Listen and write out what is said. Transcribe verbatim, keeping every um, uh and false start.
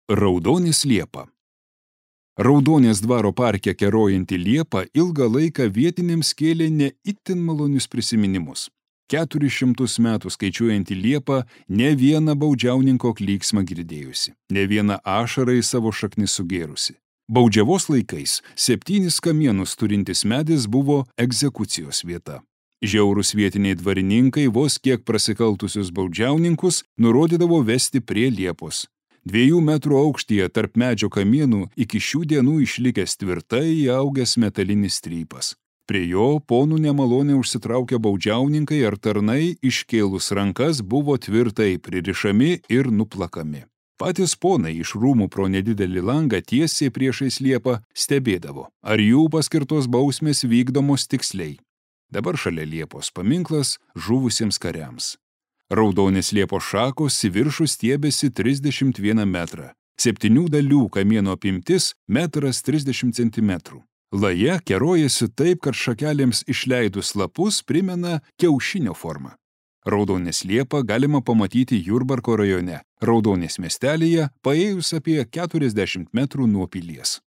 Raudonės liepa. Raudonės dvaro parke kerojanti liepa ilgą laiką vietiniams kėlė ne itin malonius prisiminimus. Keturis šimtus metų skaičiuojanti liepa ne vieną baudžiauninko klyksmą girdėjusi, ne vieną ašarą į savo šaknis sugėrusi. Baudžiavos laikais septynis kamienus turintis medis buvo egzekucijos vieta. Žiaurūs vietiniai dvarininkai vos kiek prasikaltusius baudžiauninkus nurodydavo vesti prie liepos. Dviejų metrų aukštyje tarp medžio kamienų iki šių dienų išlikęs tvirtai įaugęs metalinis strypas. Prie jo ponų nemalonę užsitraukę baudžiauninkai ar tarnai iškėlus rankas buvo tvirtai pririšami ir nuplakami. Patys ponai iš rūmų pro nedidelį langą tiesiai priešais liepą stebėdavo, ar jų paskirtos bausmės vykdomos tiksliai. Dabar šalia liepos paminklas žuvusiems kariams. Raudonės liepos šakos į viršų stiebėsi trisdešimt vieną metrą. Septynių dalių kamieno apimtis metras trisdešimt centimetrų. Laja kerojasi taip, kad šakelėms išleidus lapus primena kiaušinio formą. Raudonės liepą galima pamatyti Jurbarko rajone, Raudonės miestelyje, paėjus apie keturiasdešimt metrų nuo pilies.